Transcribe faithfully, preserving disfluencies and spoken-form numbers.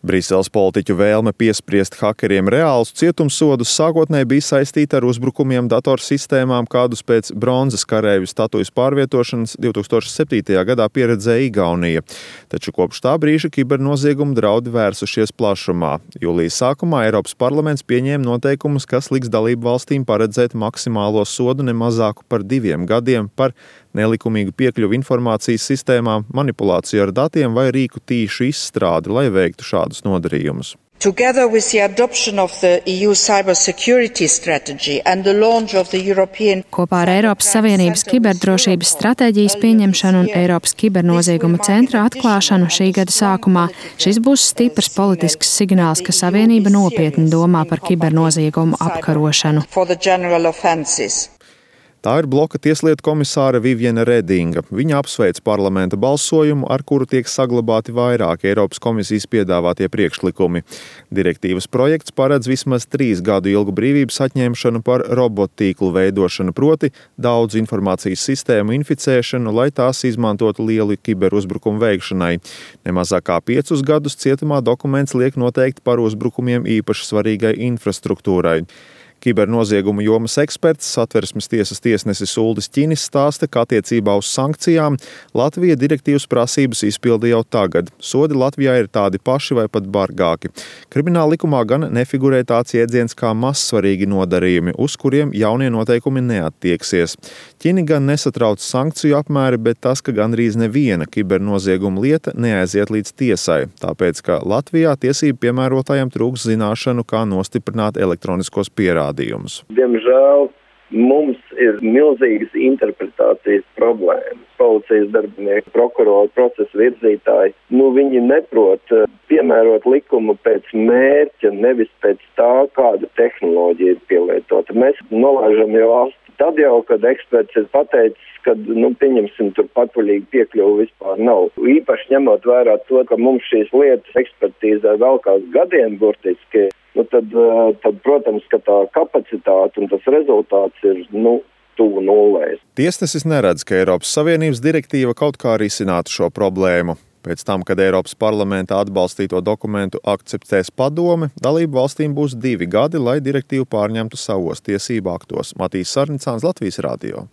Briseles politiķu vēlme piespriest hakeriem reālus cietumsodus sākotnēji bija saistīta ar uzbrukumiem datorsistēmām, kādus pēc bronzas kareivju statujas pārvietošanas divtūkstoš septītajā gadā pieredzēja Igaunija. Taču kopš tā brīža kibernoziegumu draudi vērsušies plašumā. Jūlijas sākumā Eiropas parlaments pieņēma noteikumus, kas liks dalību valstīm paredzēt maksimālo sodu nemazāku par diviem gadiem par nelikumīgu piekļuvi informācijas sistēmām, manipulāciju ar datiem vai rīku tīšu izstrādi, lai veiktu šādus nodarījumus. Together with the adoption of the E U cybersecurity strategy and the launch of the European Kopā ar Eiropas Savienības kiberdrošības stratēģijas pieņemšanu un Eiropas kibernozieguma centra atklāšanu šī gada sākumā, šis būs stiprs politisks signāls, ka Savienība nopietni domā par kibernoziegumu apkarošanu. Tā ir bloka tieslietu komisāre Viviane Redinga. Viņa apsveic parlamenta balsojumu, ar kuru tiek saglabāti vairāki Eiropas komisijas piedāvātie priekšlikumi. Direktīvas projekts paredz vismaz trīs gadu ilgu brīvības atņemšanu par robottīklu veidošanu, proti daudz informācijas sistēmu inficēšanu, lai tās izmantotu lielu kiberuzbrukumu veikšanai. Nemazāk kā piecus gadus cietumā dokuments liek noteikti par uzbrukumiem īpaši svarīgai infrastruktūrai. Kibernoziegumu jomas eksperts, Satversmes tiesas tiesnesis Uldis Ķinis stāsta, ka attiecībā uz sankcijām Latvija direktīvas prasības izpilda jau tagad. Sodi Latvijā ir tādi paši vai pat bargāki. Krimināla likumā gan nefigurē tāds jēdziens kā mazsvarīgi nodarījumi, uz kuriem jaunie noteikumi neattieksies. Ķini gan nesatrauc sankciju apmēri, bet tas, ka gandrīz neviena kibernozieguma lieta neaiziet līdz tiesai, tāpēc, ka Latvijā tiesību piemērotājiem trūks zināšanu, kā nostiprināt elektroniskos pierādījumus. Diemžēl mums ir milzīgas interpretācijas problēmas. Policijas darbinieki, prokurori, procesa virzītāji, nu viņi neprot piemērot likumu pēc mērķa, nevis pēc tā, kāda tehnoloģija ir pielietota. Mēs nolaižam jau astu tad jau, kad eksperts ir pateicis, ka, nu, pieņemsim, tur patvaļīgi piekļuvi vispār nav. Īpaši ņemot vērā to, ka mums šīs lietas ekspertīzē vēl kāds gadiem burtiski, nu, tad, tad, protams, ka tā kapacitāte un tas rezultāts ir, nu, tuvu nulēs. Tiesnesis neredz, ka Eiropas Savienības direktīva kaut kā risinātu šo problēmu. Pēc tam, kad Eiropas parlamenta atbalstīto dokumentu akceptēs padome, dalību valstīm būs divi gadi, lai direktīvu pārņemtu savos tiesību aktos. Matīs Sarnicāns, Latvijas radio.